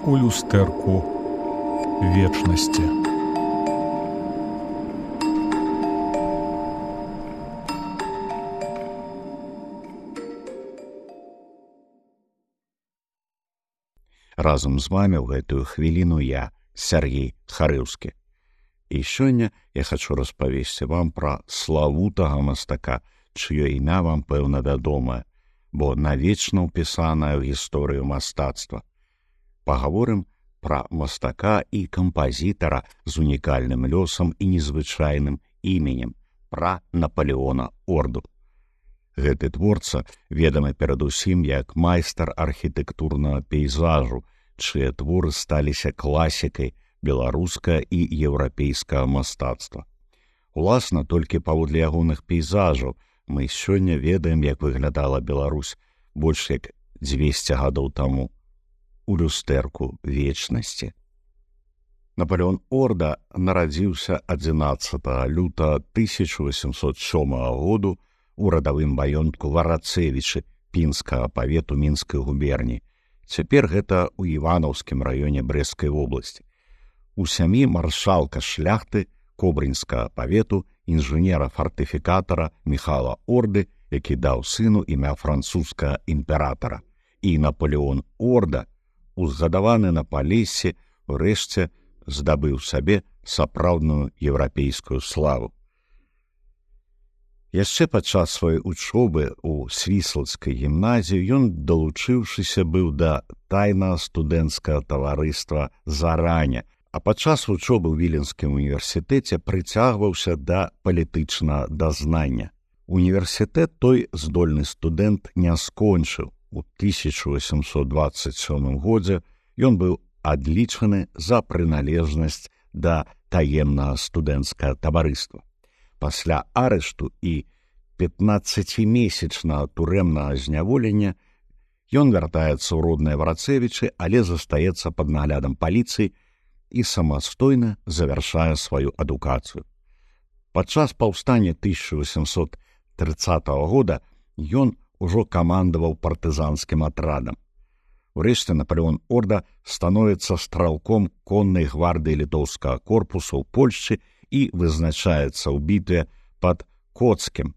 у люстэрку вечнасці. Разам з вамі ў гэтую хвіліну я, Сергей Харыўскі. І сёння я хачу распавесці вам пра славутага мастака, чыё імя вам, пэўна, вядомае, бо навечна ўпісанае ў гісторыю мастацтва. Пагаворым пра мастака і кампазітара з унікальным лёсам і незвычайным іменем, пра Напалеона Орду. Гэты творца ведамы перадусім як майстар архітэктурнага пейзажу, чыя творы сталіся класікай беларускага і еўрапейскага мастацтва. Уласна, толькі паводле ягоных пейзажаў мы сёння ведаем, як выглядала Беларусь больш як 200 гадоў таму у люстэрку вечнасці. Напалеон Орда нарадзіўся 11 лютага 1807 году у радавым маёнтку Варацевічы пінскага павету Мінскай губерні. Цяпер гэта ў Іванаўскім раёне Брэсцкай вобласці. У сям'і маршалка шляхты Кобрынскага павету інжынера-фартыфікатара Міхала Орды, які даў сыну імя французскага імператара. І Напалеон Орда, узгадаваны на Палессі, урэшце здабыў сабе сапраўдную еўрапейскую славу. Яшчэ падчас сваёй учобы ў Свіслацкай гімназіі ён, далучыўшыся быў да тайнага студэнцкага таварыства «Зараня», а падчас вучобы ў Віленскім універсітэце прыцягваўся да палітычнага дазнання. Універсітэт той здольны студэнт не скончыў. У 1827 годзе ён быў адлічаны за прыналежнасць да таемнага студэнцкага таварыства. Пасля арышту і 15-месячнага турэмнага зняволення ён вяртаецца ў родныя Варацевічы, але застаецца пад наглядам паліцыі і самастойна завяршае сваю адукацыю. Падчас паўстання 1830 года ён ужо камандаваў партызанскім атрадам. Урэшце Напалеон Орда становіцца стралком коннай гвардыі літоўскага корпусу ў Польшчы і вызначаецца ў бітве пад Коцкім,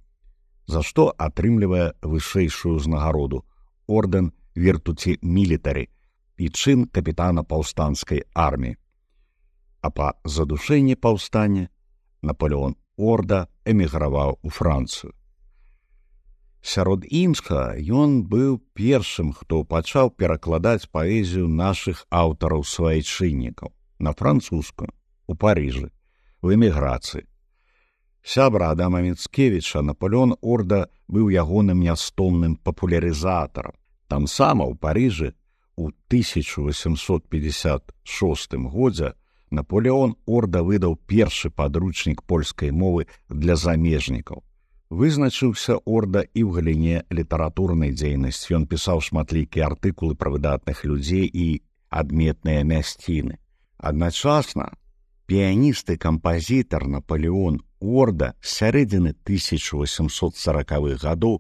за што атрымлівае вышэйшую ўзнагароду ордэн Віртуці Мілітарі і чын капітана паўстанцкай арміі. А па задушэнні паўстання Напалеон Орда эміграваў у Францыю. Сярод іншага, ён быў першым, хто пачаў перакладаць паэзію нашых аўтараў-свайчыннікаў на французскую, у Парыжы, у эміграцыі. Сябра Адама Міцкевіча Напалеон Орда быў ягоным нястомным папулярызатарам. Там сама ў Парыжы у 1856 годзе Напалеон Орда выдаў першы падручнік польскай мовы для замежнікаў. Вызначыўся Орда і ў галіне літаратурнай дзейнасці. Ён пісаў шматлікія артыкулы пра выдатных людзей і адметныя мясціны. Адначасна піяніст і кампазітар Напалеон Орда з сярэдзіны 1840-х гадоў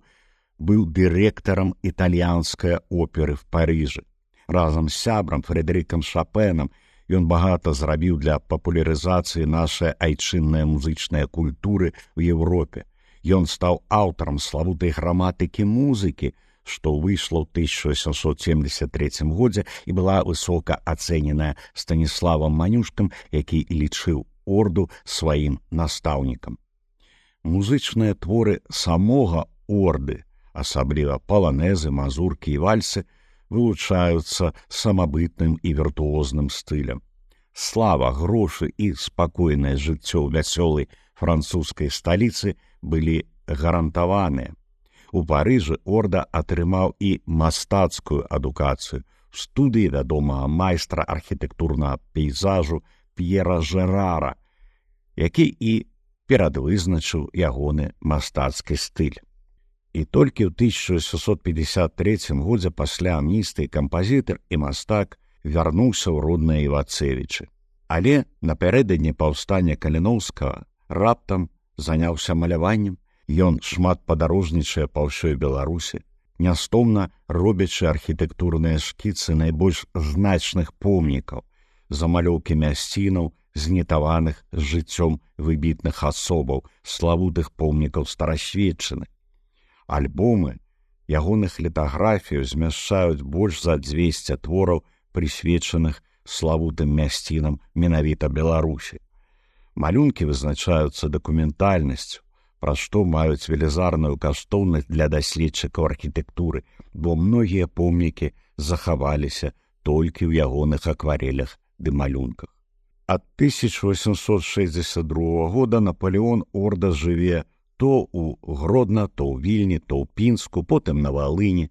быў дырэктарам італьянскай оперы в Парыжы. Разам з сябрам Фрэдэрыкам Шапенам ён багата зрабіў для папулярызацыі нашай айчыннай музычнай культуры ў Еўропе. Ён стаў аўтарам славутай граматыкі музыкі, што выйшла ў 1873 годзе і была высока ацэненая Станіславам Манюшкам, які лічыў Орду сваім настаўнікам. Музычныя творы самога Орды, асабліва паланэзы, мазуркі і вальсы, вылучаюцца самабытным і віртуозным стылем. Слава, грошы і спакойнае жыццё ў вясёлай французскай сталіцы былі гарантаваныя. У Парыжы Орда атрымаў і мастацкую адукацыю в студыі вядомага майстра архітэктурнага пейзажу П'ера Жерара, які і перадвызначыў ягоны мастацкі стыль. І толькі ў 1653 годзе пасля амністыі кампазітар і мастак вярнуўся ў родныя Івацевічы. Але напярэдадні паўстання Каліноўскага раптам заняўся маляваннем. Ён шмат падарожнічае па ўсёй Беларусі, нястомна робячы архітэктурныя шкіцы найбольш значных помнікаў, замалёўкі мясцінаў, знітаваных з жыццём выбітных асобаў, славутых помнікаў старасветчыны. Альбомы ягоных літаграфіяў змяшчаюць больш за 200 твораў, прысвечаных славутым мясцінам менавіта Беларусі. Малюнкі вызначаюцца дакументальнасцю, пра што маюць велізарную каштоўнасць для даследчыкаў архітэктуры, бо многія помнікі захаваліся толькі ў ягоных акварелях ды малюнках. Ад 1862 года Наполеон Орда жыве то ў Гродна, то ў Вільні, то ў Пінску, потым на Валыні.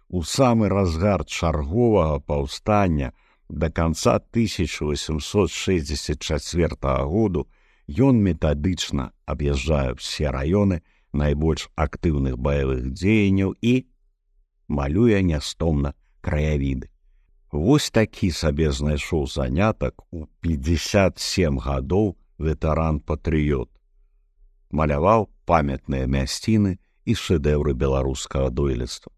У самы разгар чарговага паўстання да канца 1864 году ён метадычна аб'язджае ўсе раёны найбольш актыўных баявых дзеянняў і малюе нястомна краявіды. Вось такі сабе знайшоў занятак у 57 гадоў ветэран-патрыёт. Маляваў памятныя мясціны і шэдэўры беларускага дойлідства.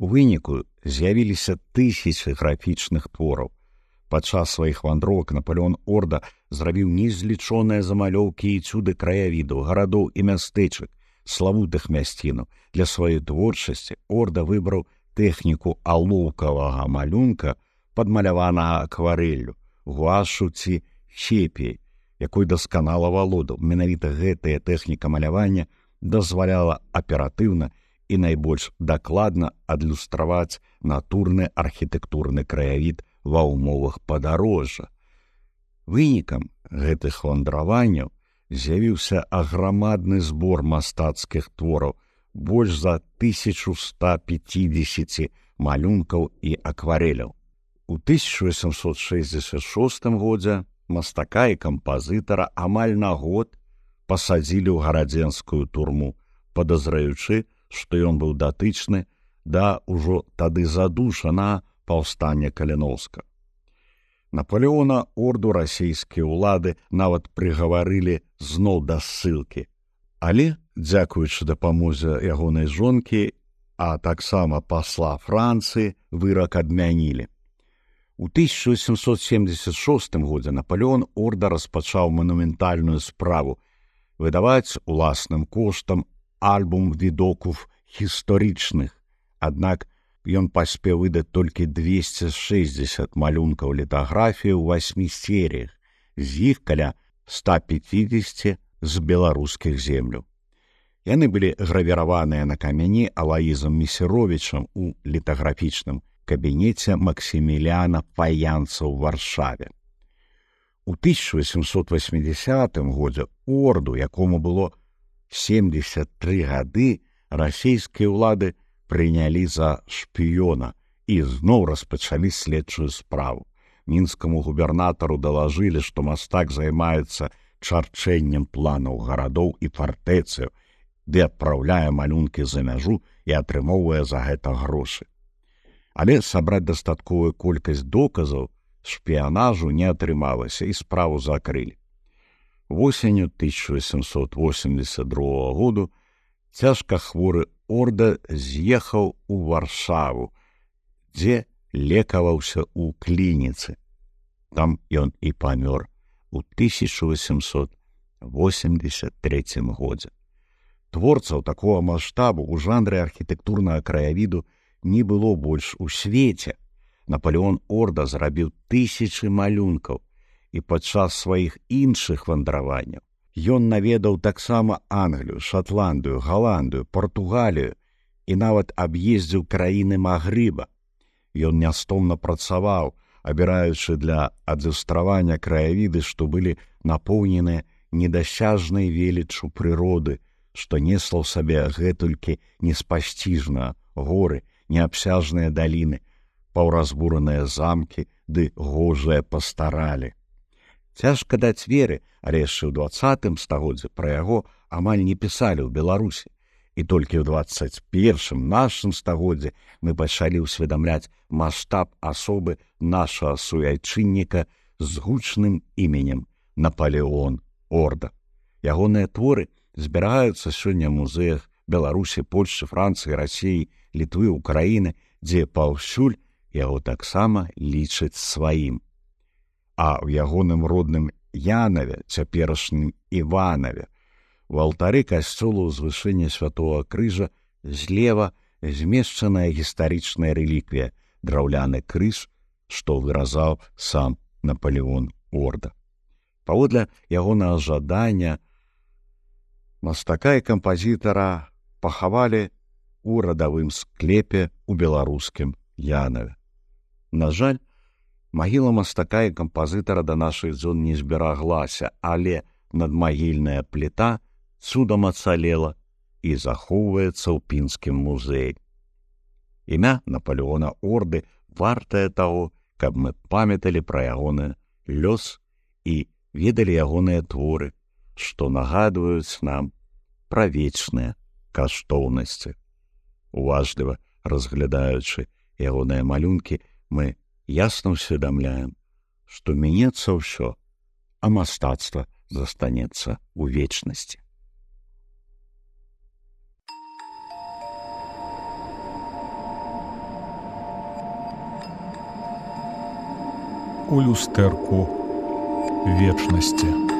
У выніку з'явіліся тысячы графічных твораў. Падчас сваіх вандровак Наполеон Орда зрабіў незлічоныя замалёўкі і цуды краявідаў, гарадоў і мястэчак, славутых мясцінаў. Для сваёй творчасці Орда выбраў тэхніку алоўкавага малюнка, падмаляванага акварэллю, гуашу ці сепіяй, якой дасканала валодаў. Менавіта гэтая тэхніка малявання дазваляла аператыўна і найбольш дакладна адлюстраваць натурны архітэктурны краявід ва ўмовах падарожжа. Вынікам гэтых вандраванняў з'явіўся аграмадны збор мастацкіх твораў, больш за 1150 малюнкаў і акварэляў. У 1866 годзе мастака і кампазітара амаль на год пасадзілі ў гарадзенскую турму, падазраючы, што ён быў датычны да ўжо тады задушанага паўстання Каліноўска. Наполеона Орду расійскія ўлады нават прыгаварылі зноў да ссылкі. Але, дзякуючы дапамозе ягонай жонкі, а таксама пасла Францыі, вырак адмянілі. У 1876 годзе Наполеон Орда распачаў манументальную справу выдаваць уласным коштам альбум відокув гістарычных, аднак ён паспеў выдаць толькі 260 малюнкаў літаграфіі ў 8 серіях, з іх каля 150 з беларускіх земляў. Яны былі гравіраваныя на камяні Алаізам Месіровічам у літаграфічным кабінеце Максіміліана Фаянца ў Варшаве. У 1880 годзе Орду, якому было 73 гады, расійскія ўлады прынялі за шпіёна і зноў распачалі следчую справу. Мінскаму губернатару далажылі, што мастак займаецца чарчэннем планаў гарадоў і фартэцыяў, ды адпраўляе малюнкі за мяжу і атрымоўвае за гэта грошы. Але сабраць дастатковую колькасць доказаў шпіянажу не атрымалася і справу закрылі. Восенню 1882 году цяжка хворы Орда з'ехаў у Варшаву, дзе лекаваўся ў клініцы. Там ён і памёр у 1883 годзе. Творцаў такога маштабу ў жанры архітэктурнага краявіду не было больш у свеце. Наполеон Орда зрабіў тысячы малюнкаў, і падчас сваіх іншых вандраванняў ён наведаў таксама Англію, Шатландыю, Галандыю, Партугалію і нават аб'ездзіў краіны Магрыба. Ён нястомна працаваў, абіраючы для адлюстравання краявіды, што былі напоўненыя недасяжнай веліччу прыроды, што несла ў сабе гэтулькі неспасціжна горы, неабсяжныя даліны, паўразбураныя замкі ды гожыя пастаралі. Цяжка даць веры, але яшчэ ў 20 стагоддзі пра яго амаль не пісалі ў Беларусі. І толькі ў 21 нашым стагоддзі мы пачалі ўсведамляць маштаб асобы нашага суайчынніка з гучным іменем Наполеон Орда. Ягоныя творы зберагаюцца сёння ў музеях Беларусі, Польшчы, Францыі, Расіі, Літвы, Украіны, дзе паўсюль яго таксама лічаць сваім. А ў ягоным родным Янаве, цяперашнім Іванаве, у алтары касцёла ўзвышэння Святого Крыжа злева змешчаная гістарычная рэліквія, драўляны крыж, што выразаў сам Наполеон Орда. Паводле ягонага жадання мастака і кампазітара пахавалі у радавым склепе ў беларускім Янаве. На жаль, магіла мастака і кампазітара да нашых дзён не збераглася, але надмагільная пліта цудам ацалела і захоўваецца ў пінскім музеі. Імя Наполеона Орды вартае таго, каб мы памяталі пра ягоны лёс і ведалі ягоныя творы, што нагадваюць нам пра вечныя каштоўнасці. Уважліва разглядаючы ягоныя малюнкі, мы ясна ўсведамляем, што мінецца ўсё, а мастацтва застанецца ў вечнасці. У люстэрку вечнасці.